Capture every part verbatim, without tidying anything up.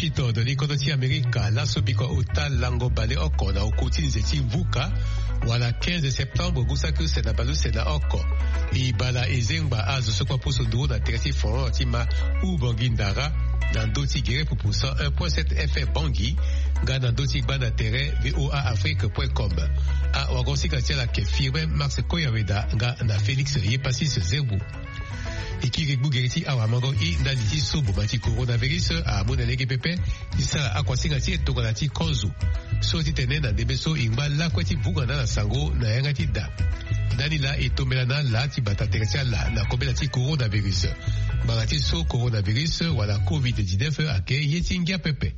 Titene kodro ti Amerika laso bikua ota lango baleoko na oku ti nze ti vuka, wala quinze septembre, ngu saki use na baleuse na oko. E bala e zengba azo so kue apusu nduru na tere ti folklore ti ma Ubangui Ndara, na ndö ti gere pupu cent un point sept F M Bangui, nga na ndö ti gba na tere V O A Afrique point com. Awago-sika ti ala ayeke Firmin Max Koyaweda nga na Félix Yepasis Zerbo. E kiri gbu gere ti awamango i ndali ti so boma ti coronavirus amu na lege pepe ti sara akuasinga ti e tongana ti kozo. So titene na ndembe so e ngba lakue ti vunga na ala sango na yanga ti da. Ndani laa e tombela na ala ti bata tere ti ala na kobela ti coronavirus. Ngbanga ti so coronavirus wala covid dix-neuf ayeke ye ti ngia pepe.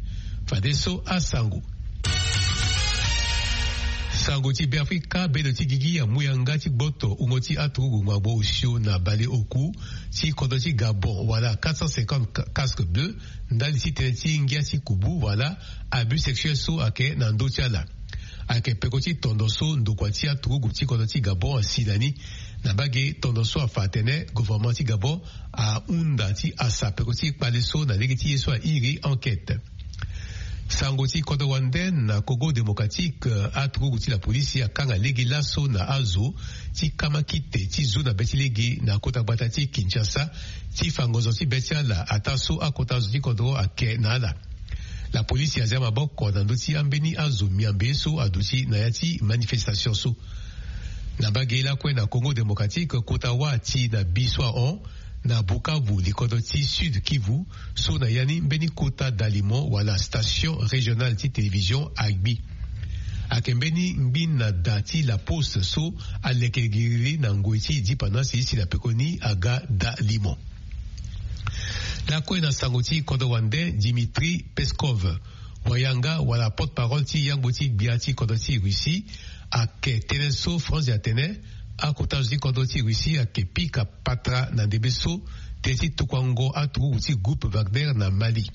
Fadeso asango. Sango ti Beafrika, bendo ti gigi amu yanga ti gboto wungo ti aturugu ngbango osio na baleoku ti kodro ti Gabon, wala quatre cent cinquante ca-, casques bleus, ndali ti tënë ti ngia ti kubu, wala abus sexuel so ayeke na ndö ti ala. Ayeke peko ti tondo so ndokua ti aturugu ti kodro ti Gabon asi na ni. Na mbage tondo so afa atene gouvernement ti Gabon ahunda ti hasa peko ti kpale so na lege ti ye so airi enquête. Sango ti kodro wande na Congo Démocratique, aturugu ti lapolisi akanga lege laso na azo ti kamakite ti zu na be ti lege na kota gbata ti Kinshasa ti fa ngonzo ti be ti ala ataa so akota zo ti kodro ayeke na ala. Lapolisi azia maboko na ndö ti ambeni azo miambe so aduti na ya ti manifestation so. Na mbage lakue na Congo Démocratique, kota wâ ti na bi so ahon na Bukavu, likodro ti Sud Kivu, so na ya ni mbeni kota dalimo wala station régionale ti télévision agbi. Ayeke mbeni ngbina da ti La Poste so aleke giriri na ngoi ti dipana si si na pekoni aga dalimo. Lakue na sango ti kodro wande, Dimitri Peskov, wayanga wala porte-parole ti yangbo ti gbia ti kodro ti Russie, ayeke tene so Franzi atene akota zo ti kodro ti Russie ayeke pika patara na ndembe so tënë ti tokuango aturugu ti groupe Wagner na Mali.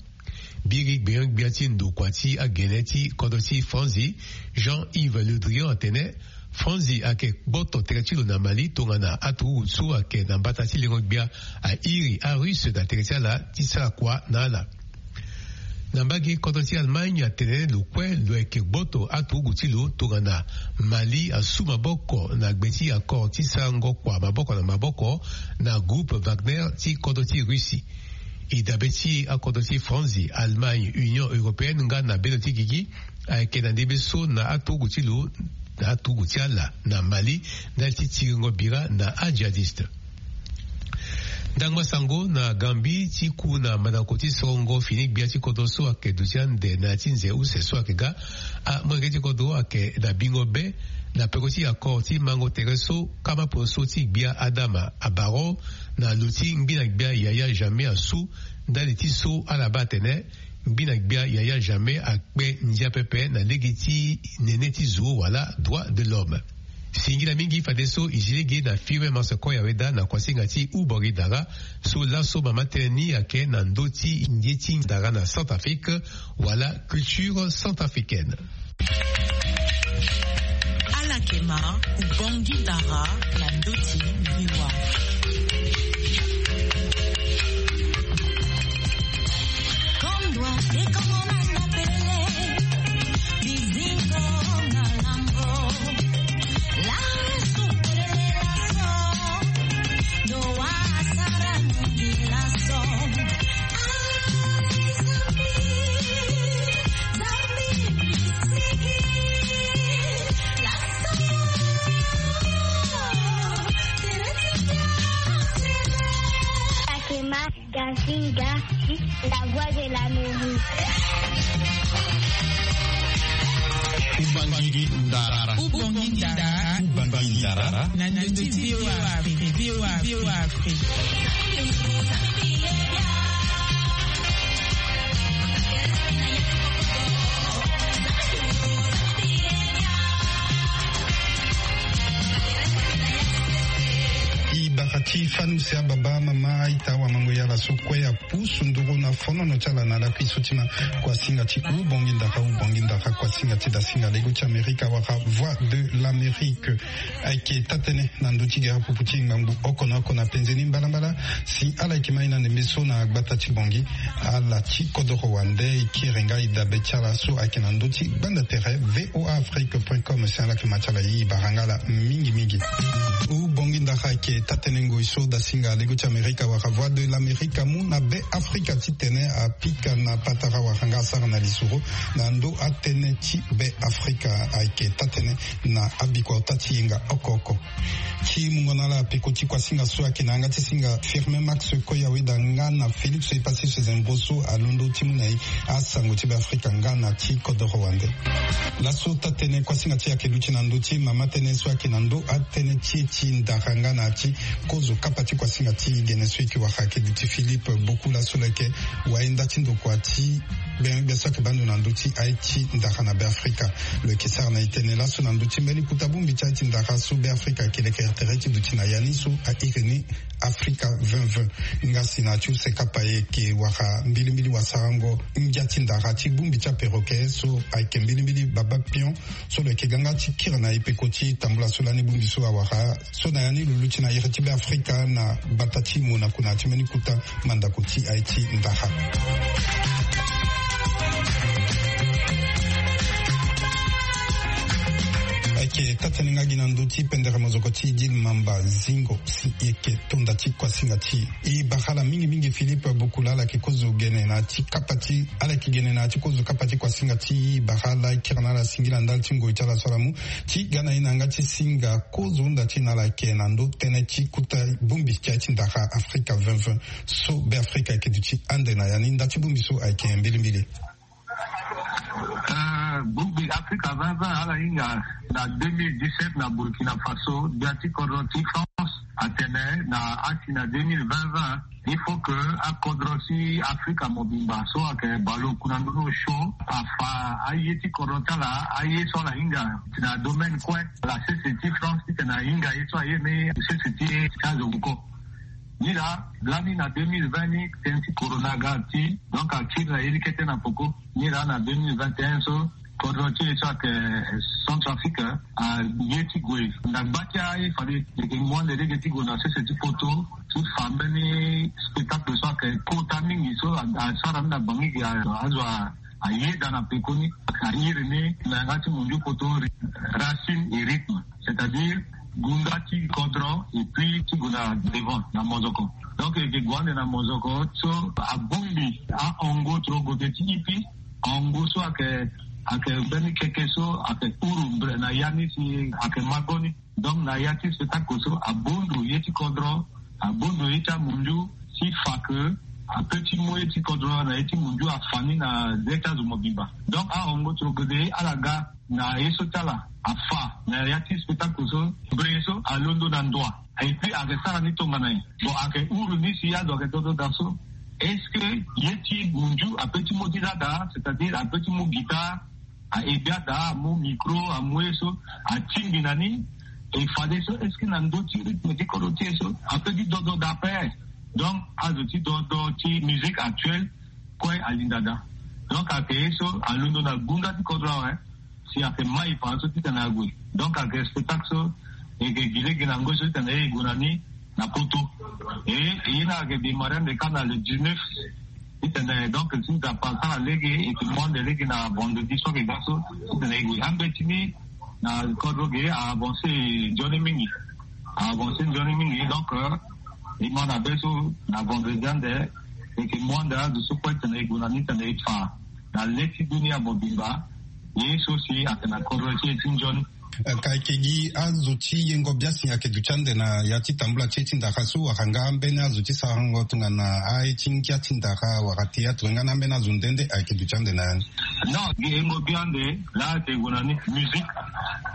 Biri gbenyo-gbia ti ndokua ti agene ti kodro ti Franzi, Jean-Yves Le Drian, atene Franzi ayeke gboto tere ti lo na Mali tongana aturugu so ayeke na mbata ti lengo-gbia airi aRusse na tere ti ala ti sara kua na ala. Na mbage, kodro ti Allemagne atene lo kue lo yeke gboto aturugu ti lo tongana Mali asu maboko na gbe ti accord ti sarango kua maboko na maboko na groupe Wagner ti kodro ti Russie. E dabe ti akodro ti Franzi, Allemagne, Union européenne nga na bendo ti gigi ayeke na ndembe so na aturugu ti lo, na aturugu ti ala na Mali, ndali ti tiringo bira na ajihadiste. Ndangba sango na Gambie, ti ku na mandako ti sorongo fini gbia ti kodro so ayeke duti ande na ya ti nze use so ayeke ga. Amolenge ti kodro ayeke na bingo be na peko ti accord ti mango tere so kama poso ti gbia Adama abaro na lo ti ngbina gbia Yaya Jammeh asu, ndali ti so ala baa atene ngbina gbia Yaya Jammeh akpe ndia pepe na lege ti nene ti zo wala droit de l'homme. Singila mingi fadeso e zi lege na Firmin Max Koyaweda na kuasinga ti Ubori Dara, so laso mama tënë ni ayeke na ndö ti ngia ti ndara na Centrafrique wala culture centrafricaine. Ala yeke ma Ubongi Dara na ndö ti V O A. Gazinga, la voix de l'Amérique. Ubangui Ndara. Ubangui Ndara. Ubangui Ndara. Na ndö ti V O A Afrique. V O A Afrique. E baka ti Fanu si ababa, amama, aita, awamango, yala so kue apusu nduru na fonono ti ala na lakui so ti ma. Kuasinga ti Ubongi Ndara, Ubongi Ndara, kuasinga ti dasinga lego ti Amerika wala Voix de l'Amérique. Ayeke taa-tënë na ndö ti gere pupu ti ngbangbu oko na oko na penze ni mbalambala. Si ala yeke ma ye na ndembe so na gbata ti Bongi, ala ti kodoro wande e kiri nga e dabe ti ala so ayeke na ndö ti gbanda tere V O A Afrique point com. Si ala yeke ma ti ala, e bara nga ala mingi mingi. Ubongi Ndara ayeke taa-tënë ngoi so dasinga lego ti Amerika wala Voix de l'Amérique amu na Be Afrika titene apika na patara wala nga asara na lisoro na ndö atënë ti Be Afrika. Ayeke taa-tënë na abikua ota ti yenga oko oko. Ti mungo na ala peko ti kuasinga so ayeke na yanga ti singa Firmin Max Koyaweda nga na Félix Epassis Zembo so alondo ti mu na e asango ti Be Afrika nga na ti kodoro wande. Laso taa-tënë kuasinga ti e ayeke luti na ndö ti mama tënë so ayeke na ndö atënë ti e ti ndara nga na ya ti kozo kapa ti kuasinga ti gene so e yeke wara ayeke duti Philippe Bokula so lo yeke wayenda ti ndokua ti gbengbia so ayeke baa ndo na ndö ti aye ti ndara na Be Afrika. Lo yeke sara na e tënë laso na ndö ti mbeni kota bongbi ti aye ti ndara so Be Afrika ayeke lekere tere ti duti na ya ni so a iri ni Afrika vingt vingt. Nga si na ya ti use kapa e yeke wara mbilimbili wasarango ngia ti ndara ti bongbi ti aperoke so ayeke mbilimbili baba pion so lo yeke ga nga ti kiri na e peko ti tambula so lani bongbi so awara. So na ya ni lo luti na iri ti Be Afrika na gbata ti Monaco na ya ti mbeni kota mandako ti aye ti ndara. Ayeke taa-tënë nga gi na ndö ti pendere mozoko ti Idil Mamba Zingo si e yeke tonda ti kuasinga ti e. E bara ala mingi mingi Philippe Bokula, ala yeke kozo gene na ya ti kapa ti, ala yeke gene na ya ti kozo kapa ti kuasinga ti e. E bara ala, e kiri na ala singila ndali ti ngoi ti ala so ala mu ti ga na e na yanga ti singa kozo hunda ti e na ala yeke na ndö tënë ti kota bongbi ti aye ti ndara Afrika vingt vingt so Be Afrika ayeke duti ande na ya ni. Nda ti bongbi so ayeke mbilimbili. Euh, bongbi Afrika vingt vingt ala hinga na deux mille dix-sept na Burkina Faso, gbia ti kodro ti France atene na asi na deux mille vingt vingt, il faut que akodro ti Afrika mobimba so ayeke baleoku na ndö ni osio afa aye ti kodro ti ala, aye so ala hinga na domaine kue, ala sese ti France titene ahinga ye so aye ni sese ti azo oko. Ni laa lani na deux mille vingt ni tënë ti corona aga ti, donc akiri na ye ni kete na peko. Ni laa na deux mille vingt et un so kodro ti e so ayeke Centrafrique aye ti gue na gba ti aye fade e yeke mu ande lege ti gue na sese ti poto ti fa mbeni spectacle so ayeke kota mingi so asara ni na bangi gi azo a ayeda na pekoni, a iri ni na yanga ti munju poto, racine et rythme, c'est-à-dire gunda ti kodro et puis ti gue na devant na mozoko. Donc e yeke gue ande na mozoko so abongbi ahongo torogo ti ipi, hongo so ayeke, ayeke mbeni keke so ayeke uru mbre na ya ni si ayeke magoni. Donc na ya ti spectacle so abondo ye ti kodro, abondo ye ti amunju, si fa ke ape ti mu ye ti kodro na ye ti munju afa ni na ze ti azo mobimba. Donc ahongo torogo de ala ga na ye so ti ala afa na ya ti spectacle so, mbre so alondo na ndoa. Et puis ayeke sara ni tongana nyen? Bon, ayeke uru ni si azo ayeke dodo daa so. Est-ce que ye ti munju ape ti mu ti da daa, c'est-à-dire ape ti mu guitare, a-e bia daa, amu micro, amu ye so, atingbi na ni? E fadeso est-ce que na ndö ti rythme ti kodro ti e so ape ti dodo daa ape? Donc azo ti dodo ti musique actuelle kue alinda daa. Donc ayeke ye so alondo na gunda ti kodro awe. Si ayeke mai fa so titene ague. Donc ayeke spectacle so e yeke gi lege na ngoi so titene e gue na ni na poto. E ye ni ayeke démarrer ande kâ na le dix-neuf. Titene donc si nzapa asara lege e yeke mu ande lege na vendredi so ayeke ga so titene e gue. Ambeti ni na kodro ge a avancer nzoni mingi. A avancer nzoni mingi, donc e ma na be so na vendredi ande e yeke mu ande azo so kue titene e gue na ni titene e fa na le ti dunia mobimba ye so si ayeke na kodro ti e ti nzoni. Ka eke gi azo ti yengo biasi ayeke duti ande na ya ti tambula ti e ti ndara so wala nga ambeni azo ti sarango tongana aye ti ngia ti ndara wala théâtre nga na ambeni azo nde nde ayeke duti ande na ya ni? Non, gi yengo bi ande laa ayeke gue na ni musique.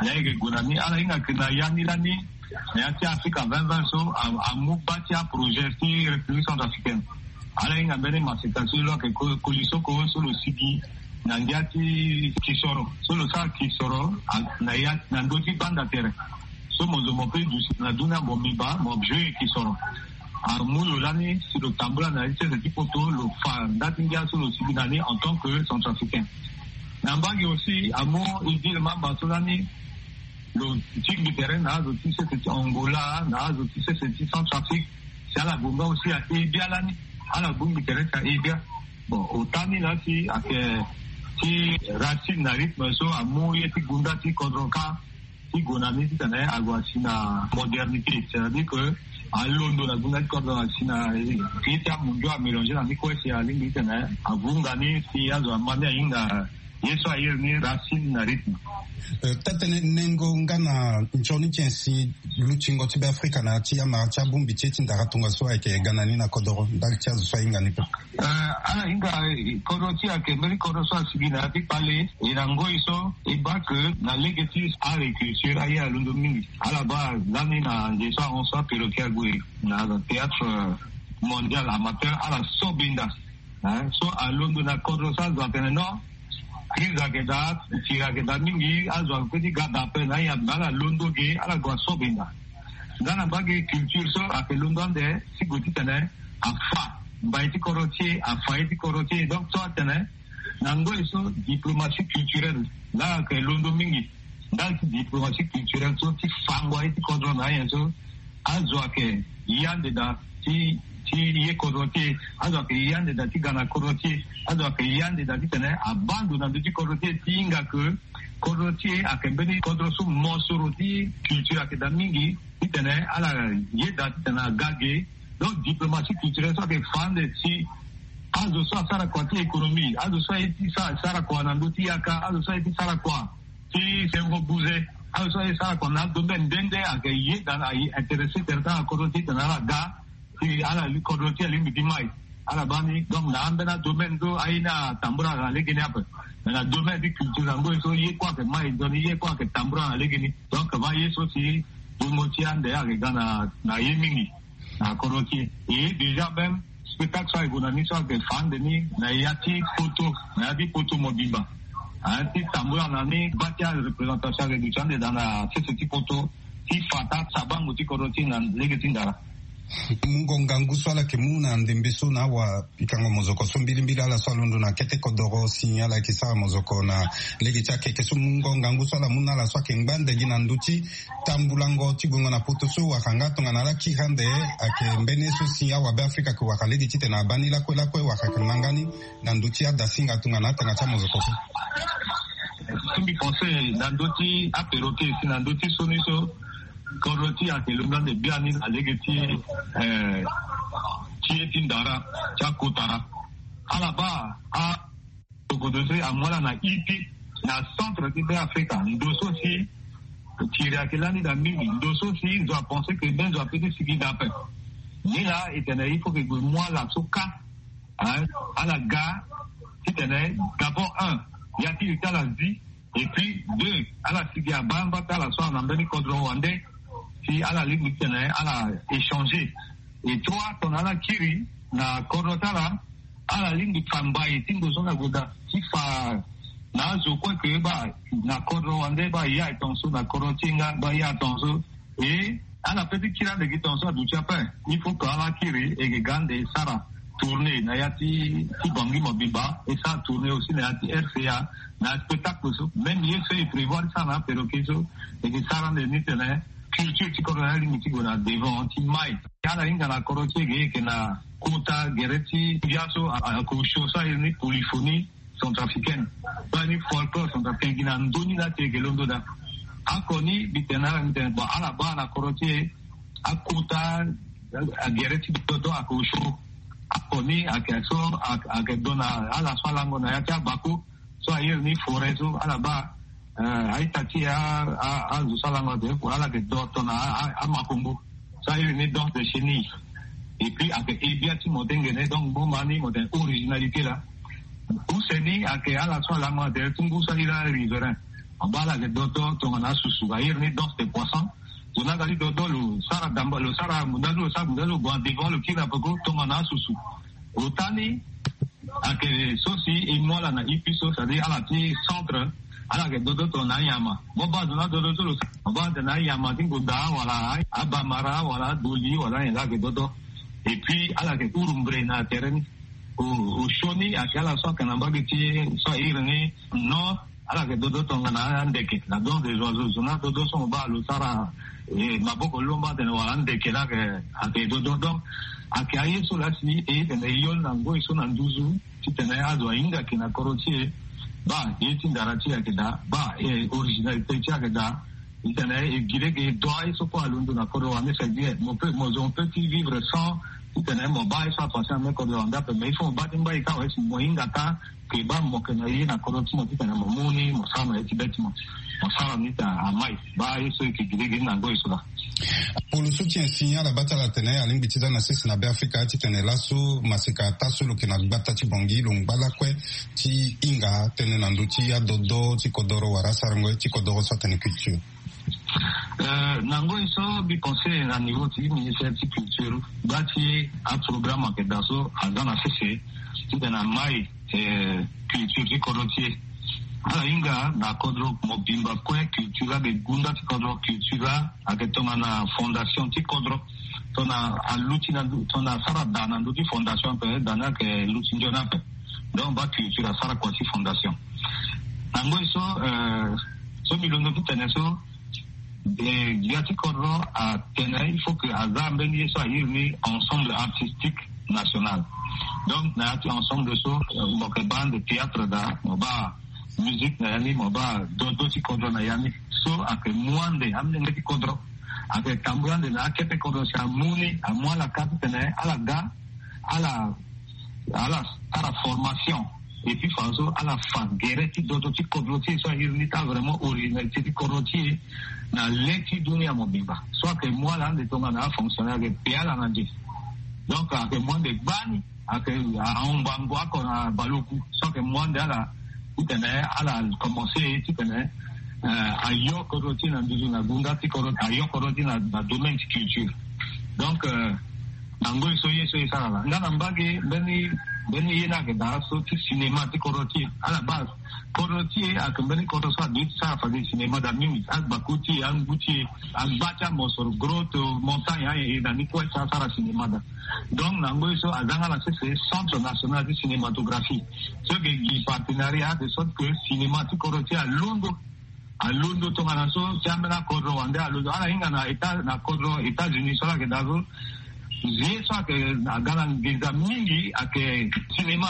Laa ayeke gue na ni ala hinga yeke na ya ni lani na ya ti Afrika vingt vingt so a, amu baa ti aprojet ti République centrafricaine. Ala hinga mbeni maseka so lo ayeke ko-, kolisoko so lo sigi na ngia ti kisoro so lo sara kisoro a, na ya na ndö ti banda tere. So mo zo mo pe duti na dunia, mo miba mo jeu eke soro. Amu lo lani si lo tambula na ye ti sese ti poto, lo fa nda ti ngia so lo sigi na ni en tant que centrafricain. Na mbage aussi amu Idil Mamba so lani lo tingbi tere na azo ti sese ti Angola, na azo ti sese ti Centrafrique. Si ala gue nga aussi aye bia lani, ala bongbi tere si aye bia. Bon, ota ni la si ayeke ti racine na rythme so amu ye ti gunda ti kodro kâ ti gue na ni titene ague asi na modernité, c'est-à-dire que alondo na gunda ti kodro asi na ye ti amundio amélange na ni kue si alingbi titene avunga ni si azo ama ni ahinga ye so aye ni racine na rythme. Euh, taa-tënë, nengo nga na nzoni ti nyen si lutingo ti Beafrika na ya ti amara ti abongbi ti ye ti ndara tongaso ayeke ga na ni na kodoro ndali ti azo so ahinga ni kue? Euh, ala hinga, eh, kodro ti e ayeke mbeni kodro so asigi na ya ti kpale. E na ngoi so e baa ke na lege ti agriculture aye alondo mingi. Ala baa lani na nze so ahon so aperoquet ague na théâtre, euh, mondial amateur, ala so benda. Hein, so alondo na kodro so azo atene non, crise ayeke daa, tiri ayeke daa mingi, azo ayeke pe ti ga daa ape na aye ape, ala londo ge, ala gue aso benda. Nga na mbage culture so ayeke londo ande ti gue titene afa mbai ti kodro ti e, afa ye ti kodro ti e. Donc so atene na ngoi so diplomatie culturelle la ayeke londo mingi. Ndali ti diplomatie culturelle so ti fango aye ti kodro na anyen so, azo ayeke ye ande daa ti, ti ye kodro ti e, azo ayeke ye ande daa ti ga na kodro ti e, azo ayeke ye ande daa titene abaa ndo na ndö ti kodro ti e ti hinga ke kodro ti e ayeke mbeni kodro so mosoro ti culture ayeke daa mingi titene ala ye daa titene aga ge. Donc diplomatie culturelle so ayeke fa ande si azo so asara kua ti économie, azo so aye ti sa-, sara kua na ndö ti yaka, azo so aye ti sara kua ti sengo buze, azo so aye sara kua na adomaine nde nde ayeke ye daa na aye intéressé tere ti ala kodro ti e titene ala ga si ala li kodro ti e alingbi ti mai. Ala baa ni, donc na ambeni adomaine so aye ni atambula na legeni ape. Mais na domaine ti culture na ngoi so ye kue ayeke mai nzoni, ye kue ayeke tambula na legeni. Donc ma ye so si bongo ti ande ayeke ga na, na ye mingi na kodro ti e. Et déjà même spectacle so ayeke gue na ni so ayeke fa ande ni na ya ti poto, na ya ti poto mobimba. Aye ti tambula na ni baa ti areprésentation ayeke duti ande daa na sese ti poto ti fa taa sabango ti kodro ti e na lege ti ndara. Mungo ngangu so ala yeke mu na ndembe so na awapikango mozoko so mbilimbili, ala so alondo na kete kodoro si ala yeke sara mozoko na lege ti akeke so, mungo ngangu so ala mu na ala so ayeke ngba ande gi na ndö ti tambulango ti guengo na poto so wala nga tongana ala kiri ande ayeke mbeni ye so si awabeafrika ayeke wara lege titene abaa ni lakue lakue wala ayeke ma nga ni na ndö ti adasinga tongana atanga ti amozoko so. So mbi pense na ndö ti aperoquet si na ndö ti so ni so kodro ti e ayeke londo ande biani na lege ti, eh, ti ye ti ndara ti akotara. Ala baa a Tokoto so amu ala na ipi na centre ti Beafrika, ndo so si tiri ayeke lani daa mingi, ndo so si zo apense ke mbeni zo ape ti sigi daa ape. Ni laa e tene il faut ke gue mu ala so kâ, hein, ala ga titene d'abord un, ya ti e ti ala zi, et puis deux, ala sigi abaa mba ti ala so ana mbeni kodro wande si ala lingbi titene ala échanger. Et trois, tongana ala kiri na kodro ti ala, ala lingbi fa mbai ti ndo so na goda ti fa na azo kue ke baa na kodro wande baa ya tongaso, na kodro ti e nga baa ya tongaso. Et ala pe ti kiri ande gi tongaso aduti ape. Il faut que ala kiri e ke ga ande e sara tournée na ya ti, ti Bangui mobimba, e sara tournée aussi na ya ti R C A, na spectacle so même ye so e prévoir ti sara na aperoquet so, e ke sara ande ni titene culture ti kodro ni alingbi ti gue na devant ti mai. Ala hinga na kodro ti e ge, e yeke na kota gere ti bia so a, a, ako show so aye ni polyphonie centrafricaine. Baa ni folklore centrafricain gi na ndö ni laa ti e yeke londo daa. Ako ni mbi tene na ala, mbi tene bon, ala baa na kodro ti e akota agere ti dodo ako show. Ako ni ayeke so, ayeke, ayeke do na ala so alango na ya ti abako so aye ni forêt so, ala baa, eh, a-ita ti e, a, a, azo so alango ate, ala yeke do tongana a, a, amakombo so aye ni danse de chenille. Et puis ayeke he bia ti mo tengene, donc mo ma ni mo tene originalité laa. Use ni ayeke ala so alango ate ti ngu so aye laa riverain. Mo baa ala yeke do to tongana asusu, aye ni danse de poisson. Zo ni aga ti do to lo sara damba, lo sara munda so, lo sara munda so, lo gue na devant, lo kiri na peko tongana asusu. Ota ni ayeke so si e mu ala na ipi so, c'est-à-dire ala ti centre Ala yeke dodo tongana anyama. Mo baa zo na adodo so lo sara, mo baa atene anyama ti ngonda wala abamara wala adoli wala anyen laa ayeke dodo. Et puis ala yeke huru mbre na tere ni. Osioni ayeke ala so ayeke na mbage ti e so airi ni nord. Ala yeke dodo tongana andeke na don de zo azo zo na dodo so mo baa lo sara. Maboko lomba atene wala andeke laa ayeke dodo. Donc ayeke aye so laa si e tene e yol na ngoi so na nduzu titene azo ahinga yeke na kodro ti e. Baa ye ti ndara ti e ayeke daa, baa originalité ti e ayeke daa. Titene e gi lege e do aye so kue alondo na kodro wande, c'est bien, mo pe mo zo mo pe ti vivre sans titene mo baa aye so apasé na me kodro wande ape. Mais il faut mo baa ti mbai ka awe si mo hinga ka ke baa mo yeke na ye na kodro ti mo titene mo mu ni mo sara na ye ti be ti mo. Mo sara ni ta amai. Baa aye so e yeke gi lege ni na ngoi so laa. Polo so ti insigne ala baa ti ala atene alingbi ti za na sese na Beafrika titene laso maseka ata so lo yeke na gbata ti Bangui lo ngba lakue ti hinga tënë na ndö ti adodo ti kodoro wala asarango ti kodoro so atene culture. Na ngoi so mbi pensé na niveau ti ministère ti culture, gba ti aprogramme ayeke daa so aza na sese titene amai culture ti kodro ti e. Ala hinga na kodro mobimba kue culture laa, gunda ti kodro culture laa ayeke tongana fondation ti kodro. Tongana aluti na ndö, tongana asara daa na ndö ti fondation ape, daa ni ayeke luti nzoni ape. Donc baa culture asara kua ti fondation. Na ngoi so so mbi londo ti tene so, gbia ti kodro atene il faut que aza mbeni ye so airi ni ensemble artistique national. Donc na ya ti ensemble so mo yeke baa ande théâtre daa, mo baa musique na ya ni, mo baa dodo ti kodro na ya ni. So ayeke mu ande amolenge ti kodro, ayeke tambula ande na akete kodro si amu ni, amu ala ka titene ala ga ala ala sara formation. Et puis fadeso ala fa gere ti dodo ti kodro ti e so airi ni ti avraimont originalité ti kodro ti e na le ti dunia mobimba. So ayeke mu ala ande tongana afonctionnaire ayeke pe ala na nze. Donc ayeke mu ande gbani ayeke ahon bango oko na baleoku so ayeke mu ande ala titene ala commencé titene ayo kodro ti e na nduzu na gunda ti kodro, ayo kodro ti e na domaine ti culture. Donc na ngoi so ye so e sara laa nga na mbage mbeni mbeni ye ni ayeke daa so ti cinéma ti kodro ti e. Ala baa kodro ti e ayeke mbeni kodro so adui ti sara fade cinéma daa mingi. Agbako ti e, angu ti e, agba ti amosoro, grotte, montagne, aye na ni kue so asara cinéma daa. Donc na ngoi so aza nga na sese centre national ti cinématographie so yeke gi partenariat de sorte que cinéma ti kodro ti e alondo alondo tongana so ti ambeni akodro wande alondo. Ala hinga na état na kodro États-Unis so ala yeke daa so. Ye so ayeke aga na nginza mingi ayeke cinéma.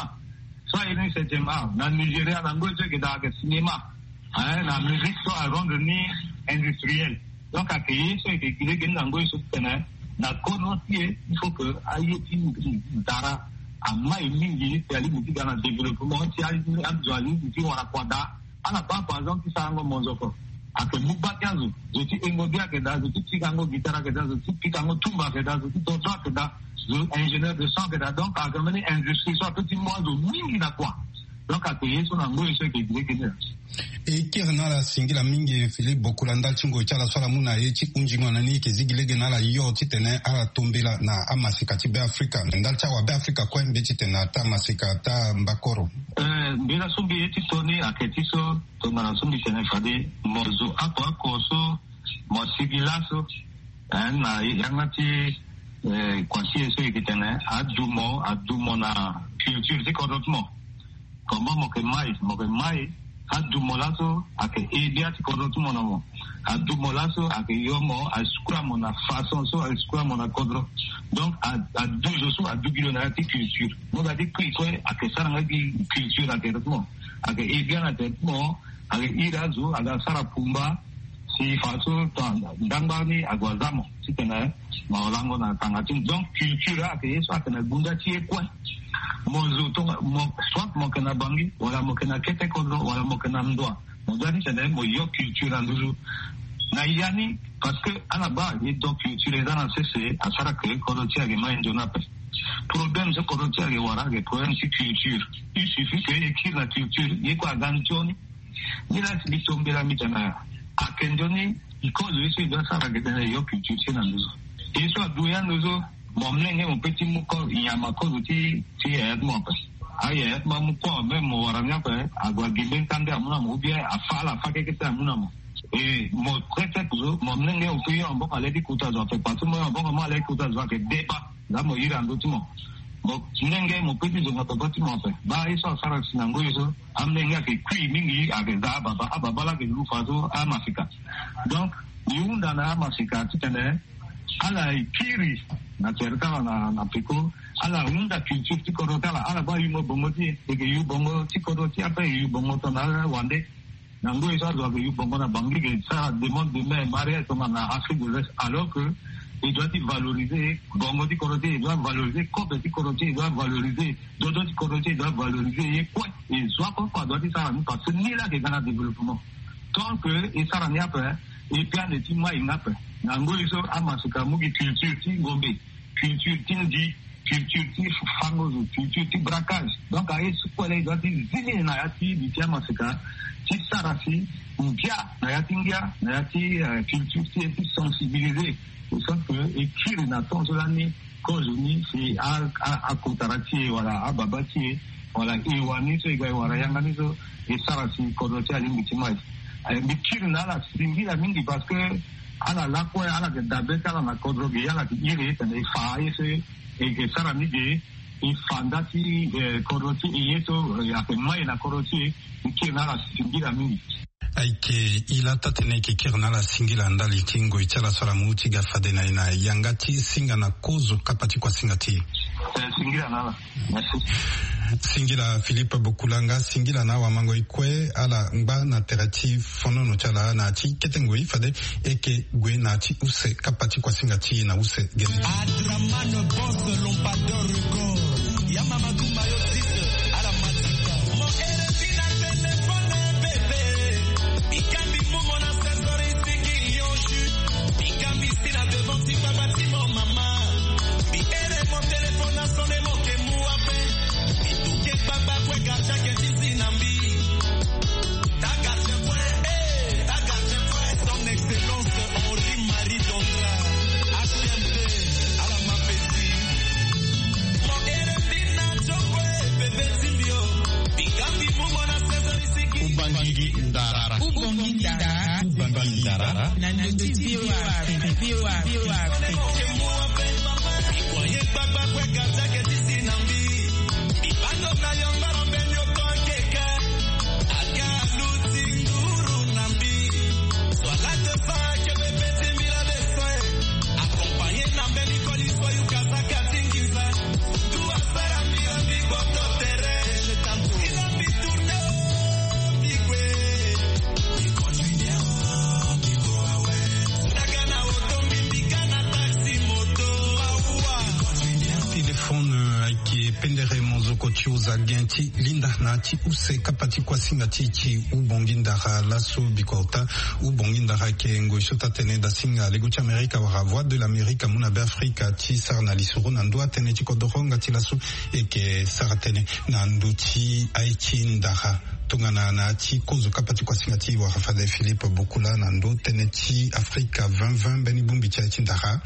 So aye ni septième art na Nigeria na ngoi so yeke daa ayeke cinéma. Na musique so arendre ni industriel. Donc ayeke ye so yeke gi lege ni na ngoi so titene na kodro ti e il faut que aye ti ndara amai mingi si alingbi ti ga na développement ti azo alingbi ti wara kua daa. Ala baa par exemple ti sarango monzoko ayeke mu gba ti azo. Zo ti hengo bi ayeke daa, zo ti pikango guitare ayeke daa, zo ti pikango tumba ayeke daa, zo ti dodo ayeke daa, zo ingénieur de son ayeke daa. Donc ayeke mbeni industrie so ape ti mu azo mingi na kua. Donc ayeke ye so na ngoi so yeke gi lege ni. E kiri na ala singila mingi Philippe Bokoula ndali ti ngoi ti ala so ala mu na ye ti hunzingo na ni e yeke zi gi lege na ala yo titene ala tombela na amasika ti Beafrika ndali ti awa Beafrika kue mbi titene ata masika ata mbakoro. Mbi laso mbi ye ti to ni ayeke ti so tongana so mbi tene fade mo zo oko oko so mo sigi laso na yanga ti kua ti e so e yeke tene adu mo adu mo na culture ti kodro ti mo. Comment mo yeke mai mo yeke mai adu mo laso ayeke e bia ti kodro ti mo na mo. Adu mo laso ayeke yo mo asukula mo na façon so asukula mo na kodro. Donc adu zo so adu gi lo na ya ti culture mo ga ti kui kue ayeke sara nga gi culture na tere ti mo. Ayeke e bia na tere ti mo. Ayeke iri azo aga sara pumba si fadeso tongana ndangba ni ague aza mo titene mo lango na tanga ti mo. Donc culture ayeke ye so ayeke na gunda ti e kue. Mo zo tonga mo soit mo yeke na Bangui wala mo yeke na kete kodro wala mo yeke na ndoa. Mo doit titene mo yo culture na nduzu na ya ni. Parce que ala baa ye do culture eza na sese asara ke kodro ti e ayeke mai nzoni ape. Problème so kodro ti e ayeke wara ayeke problème ti culture. Il suffit ke e kiri na culture ye kue aga nzoni. Ni laa si mbi tombela mbi tene ayeke nzoni. Kozo ye so e doit sara ayeke tene e yo culture ti e na nduzu. E so adu ya nduzu. Mo mlenge mo pe ti mu kozo nyama kozo ti ti e ya ti mo ape. Aye, ma mu kua même mo wara ni ape, ague agende ntandu amu na mo ou bien afa ala afa keke ti amu na mo. E mo prete kuzo mo mlenge oku ye maboko ale ti kota zo ape parce que mo ye maboko mo ale ti kota zo ayeke deba. Nga mo iri ando ti mo. Mo mlenge mo pe ti zonga baba ti mo ape. Baa ye so asara si na ngoi so amlenge ayeke kui mingi ayeke za ababa ababa laa ayeke lufa so amasika. Donc e hunda na amasika titene ala e kiri na tere ti ala na peko. Ala hunda culture ti kodro ti ala ala baa e yu mo bongo ti e e ke yu bongo ti kodro ti e ape e yu bongo tongana ala wande. Na ngoi so azo ayeke yu bongo na bango e ke sara demande de main mariage tongana na afrique de l'est alors que e doit ti valoriser bongo ti kodro ti e e doit valoriser kobe ti kodro ti e e doit valoriser dodo ti kodro ti e e doit valoriser ye kue. E zo akoko adoit ti sara ni parce que ni laa ayeke ga na développement. Tant que e sara ni ape e pe ande ti mai ni ape. Na ngoi so amasika amu gi culture ti ngombe, culture ti ndi, culture ti fango zo, culture ti braquage. Donc aye so kue laa e doit ti zi ni na ya ti bi ti amasika ti sara si ngia na ya ti ngia na ya ti culture ti e ti sensibiliser. E sens que e kiri na temps so lani kozo ni si akotara ti e wala ababa ti e wala e wani so e ga e wara yanga ni so e sara si kodro ti e alingbi ti mai. Mbi kiri na ala singila mingi parce que ala lakue ala yeke dabe ti ala na kodro ge ala yeke iri tene e fa aye so e yeke sara ni ge. E fa nda ti kodro ti e ye so ayeke mai na kodro ti e. Mbi kiri na ala singila mingi. Ayeke e laa taa-tënë e yeke kiri na ala singila ndali ti ngoi ti ala so ala mu ti ga fade na e na yanga ti singa na kozo kapa ti kuasinga ti e. Singila na ala. Singila philippe bokulanga singila na awamango e kue ala ngba na tere ti fonono ti ala na ya ti kete ngoi fade e yeke gue na ya ti use kapa ti kuasinga ti e na use gene. Adraman boss lompador record. Ya mama gumba yo six. Ala matika mo ere ti na telefone bebe. Bikambi mumo na sesori sigi yo ju. Bikambi si na devant ti baba ti mo mama. Biere mo telefone na sone mo ke mu ape. Bituke gbagba kue gardien ke ti zi na mbi. Ta gardien kue eh ta gardien kue. Son excellence Henri Marie Dondra. H M T. Ala mapesi. Mo ere mbi na jokue bebe ti mbi o. Bikambi mumo na sesori sigi. Ubangigi ndara. Ubangigi ndara. Ubangigi ndara. Na ndo ti V O A Afrique. V O A Afrique. Téléphone ayeke pendere mozoko ti oza gen ti linda na ya ti use kapa ti kuasinga ti e ti ubongi ndara laso bikota. Ubongi ndara ayeke ngoi so taa-tënë dasinga lego ti amerika wala voix de l'amerika amu na be afrika ti sara na lisoro na ndö atënë ti kodoro nga ti laso. E yeke sara tënë na ndö ti aye ti ndara tongana na ya ti kozo kapa ti kuasinga ti e wara fade philippe bokula na ndö tënë ti afrika vingt vingt mbeni bongbi ti aye ti ndara.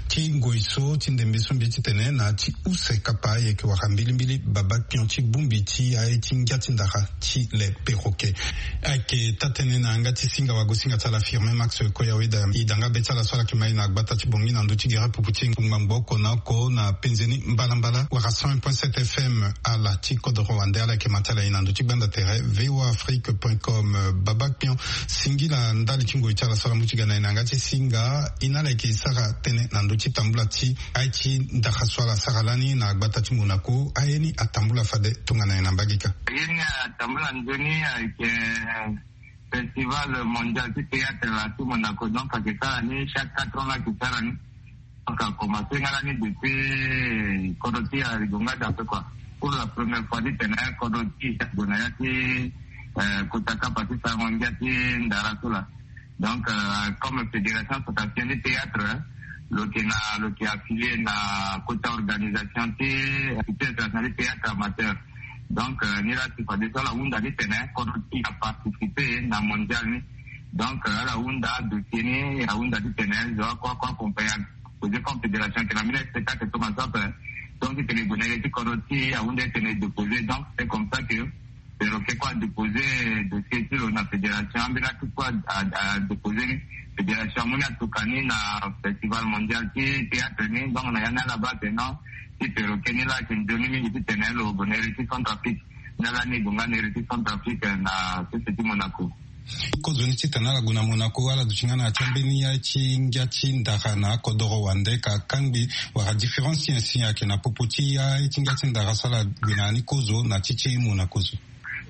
Ti ngoi so ti ndembe so mbi ye titene na ya ti use kapa e yeke wara mbilimbili baba kpion ti bongbi ti aye ti ngia ti ndara ti le perroquet. Ayeke taa-tënë na yanga ti singa wagosinga ti ala firme max koyawe da e danga be ti ala so ala yeke ma e na gbata ti bongi na ndö ti gere pupu ti ngbangbo oko na oko na penze ni mbalambala wala cent un point sept fm. Ala ti kodoro wande ala yeke ma ti ala e na ndö ti gbanda tere V O A Afrique point com. Baba kpion singila ndali ti ngoi ti ala so ala mu ti ga na e na yanga ti singa e na ala yeke sara tënë na ndö ti tambula ti aye ti ndara so ala sara lani na gbata ti monaco aye ni atambula fade tongana nyen na mbage ka? Ye ni atambula nzoni ayeke festival mondial ti théâtre la ti monaco donc ayeke sara ni chaque quatre ans la ayeke sara ni. Donc akomanse nga lani depuis kodro ti e arigo nga dape kua. Pour la première fois ti tene kodro ti e gue na ya ti kota kapa ti sarango ngia ti ndara so la. Donc comme fédération centrafricaine ti théâtre lo yeke na lo yeke affilié na kota organisation ti institut international ti théâtre amateur. Donc ni la si fade so ala hunda ni tene kodro ti e aparticipe na mondial ni. Donc ala hunda dossier ni ahunda ti tene zo ako ako accompagne. Projet comme fédération ayeke na mine spectacle so ma so ape. Donc titene e gue na ye ti kodro ti e, ahunda titene e déposer. Donc c'est comme ça que Perroquet kue adéposer dossier ti lo na fédération. Ambeni atuku adéposer ni. Fédération amu ni atuka ni na festival mondial ti théâtre ni. Donc na ya ni ala baa atene non, ti Perroquet ni laa ayeke nzoni mingi titene lo gue na iri ti Centrafrique. Ni ala ni e gue nga na iri ti Centrafrique na sese ti Monaco. Kozo ni titene ala gue na Monaco, ala duti nga na ya ti ambeni ya ti ngia ti ndara na akodoro wande ka kangbi wala différence ti nyen si ayeke na popo ti ya ti ngia ti ndara so ala gue na ya ni kozo na ti ti Monaco so?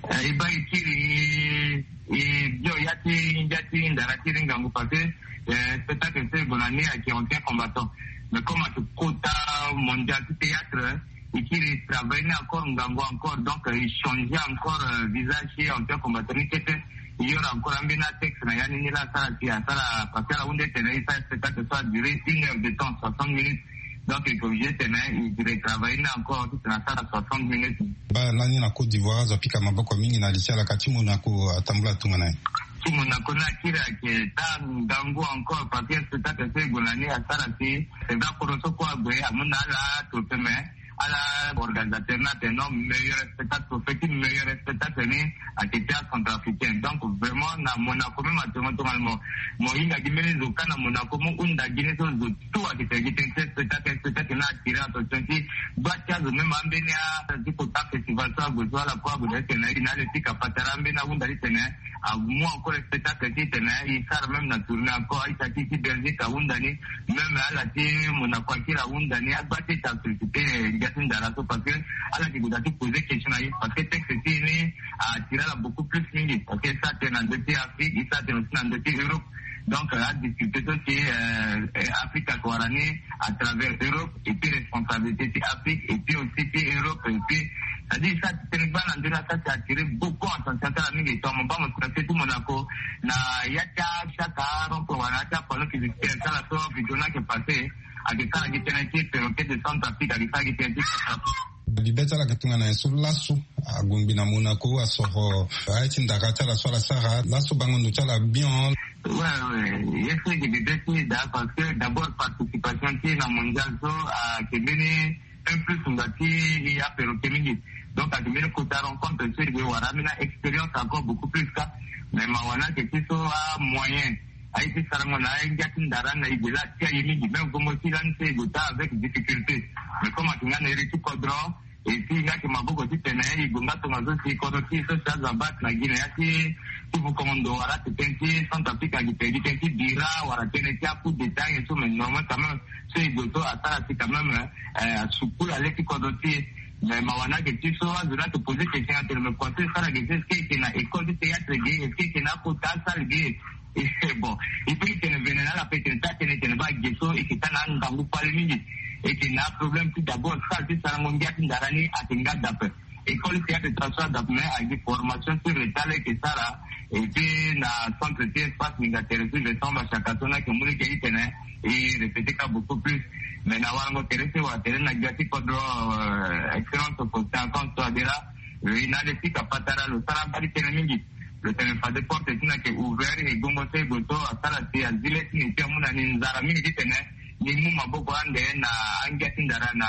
Eh, e baa e kiri e bio ya ti ngia ti ndara ti iri ngangu parce que eh, spectacle so e gue na ni ayeke ancien combattant. Mais comme ayeke kota mondial ti théâtre, e kiri e travailler ni encore ngangu encore, donc e changer encore eh, visage ti ancien combattant ni kete. E yoro encore ambeni atexte na ya ni ni laa asara si asara parce que ala hunde titene e sara spectacle so a durer une heure de temps, soixante minutes. Donc e ke obligé titene e retravailler ni encore titene asara soixante minutes. Baa lani na Côte d'Ivoire azo apika maboko mingi na li ti ala ka ti Monaco atambula tongana nyen? Ti Monaco ni akiri ayeke taa ngangu encore parce que spectacle so e gue na ni asara si c'est vrai akodro so kue ague amu na ala trophée mais ala organisateur ni atene non, meilleur spectacle, trophée ti meilleur spectacle ni ayeke ti acentrafricain. Donc vraiment na Monaco même actuellement tongana mo mo hinga gi mbeni zo ka na Monaco mo hunda gi ni so zo tout ayeke tene gi tënë ti spectacle. Spectacle ni attirer attention ti gba ti azo même ambeni a ti kota festival so ague so ala kue ague na titene e na le ti kapatara ambeni ahunda titene amu encore spectacle titene e sara même na tournée encore. Aita ti ti Belgique ahunda ni, même ala ti Monaco akiri ahunda ni. Agba ti e ti asolliciter ngia ti ndara so parce que ala yeke gue daa ti poser question na e parce que texte ti e ni attirer ala beaucoup plus mingi parce que e sara tënë na ndö ti Afrique, e sara tënë aussi na ndö ti Europe. Donc adiscuter so si Afrique ayeke wara ni à travers Europe et puis responsabilité ti Afrique et puis aussi ti Europe et puis c'est-à-dire e sara ti tënë gbaa na ndö ni asara ti attirer beaucoup attention ti ala mingi. Tongana mo baa mo si na se ti Monaco na ya ti achaka rond-point wala na ya ti apanneau publicitaire ti ala so video ni ayeke passer ayeke sara gi tënë ti Perroquet de Centrafrique, ayeke sara gi tënë ti Centrafrique. Bibe ti ala ayeke tongana nyen so laso agongbi na Monaco asoro aye ti ndara ti ala so ala sara laso bango ndo ti ala bien? Ouais, ouais, ye so e yeke bibe ti e daa parce que d'abord participation ti e na mondial so ayeke mbeni un plus nga ti e aPerroquet mingi. Donc ayeke mbeni kota rencontre so e gue wara ambeni a-expérience encore beaucoup plus ka. Mais mawa ni ayeke ti so amoyen aye ti sarango na angia ti ndara ni na e gue laa atia e mingi. Même gongo ti lani so e gue taa avec difficulté. Mais comme ayeke nga na iri ti kodro et puis nga yeke maboko titene e gue nga tongaso si kodro ti e so si azo abaa ti na gi na ya ti ti bukongo ndo wala ti tënë ti Centrafrique ayeke tene gi tënë ti bira wala tënë ti a-coup d'état nyen so mais normal quand même so e gue so asara si quand même eh, asukula le ti kodro ti e. Mais mawa ni ayeke ti so azo ni ayeke poser question atene mais kua so e sara ge so est-ce que e yeke na école ti théâtre ge, est-ce que e yeke na akota asalle ge? Bon, e peut ti tene vene na ala peut ti tene taa tënë e tene baa ge so e yeke taa na angangu kpale mingi. E yeke na aproblème ti d'abord salle ti sarango ngia ti ndara ni ayeke nga dape. École ti théâtre ti ala so adape mais ayeke gi formation ti retard laa e yeke sara. Et puis na centre ti espace nginza tere ti Vincent Bashaka so ni ayeke mu lege ti tene e répéter ka beaucoup plus. Mais na warango tere so e wara tere na gbia ti kodro excellence Faustin Archange Touadéra, lo ye na le ti kapatara lo sara abaa ti tënë mingi. Lo tene fade porte ti ni ayeke ouvert e gongo so e gue so asara si azi le ti ni ti amu na ni nzara mingi ti tene ni mu maboko ande na angia ti ndara na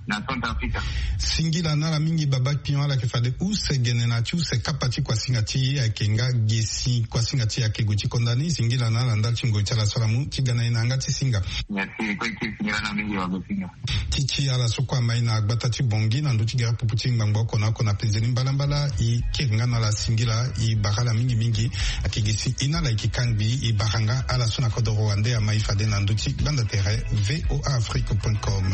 na Centrafrique. Singila na ala mingi baba pion, ala yeke fade use gene na ya ti use kapa ti kuasinga ti e ayeke nga gesi. Kuasinga ti e ayeke gue ti konda ni. Singila na ala ndali ti ngoi ti ala so ala mu ti ga na e na yanga ti singa. Merci kue ti singila na mingi wa go singa. Ti ti ala so kue amai na gbata ti Bangui na ndö ti gere popo ti ngbangbo oko na oko na penze ni mbalambala, e kiri nga na ala singila, e bara ala mingi mingi. Ayeke gi si e na ala e yeke kangbi, e bara nga ala so na kodoro wande amai fade na ndö ti gbanda tere V O A Afrique point com.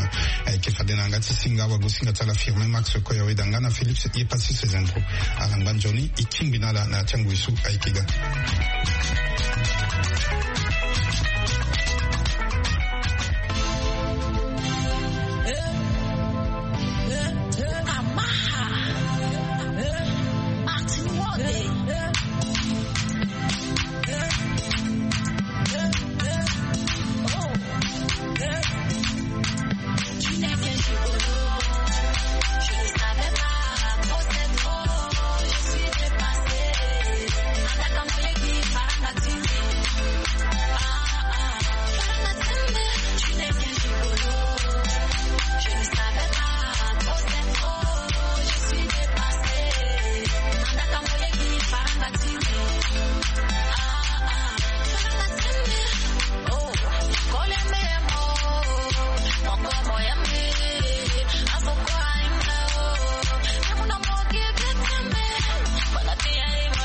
Ayeke fade na yanga ti singa wagosinga ti ala Firmin Max Koyaweda nga na Philips Yepassis Zendro. Ala ngba nzoni, e kingbi na ala na ya ti angoi so ayeke ga.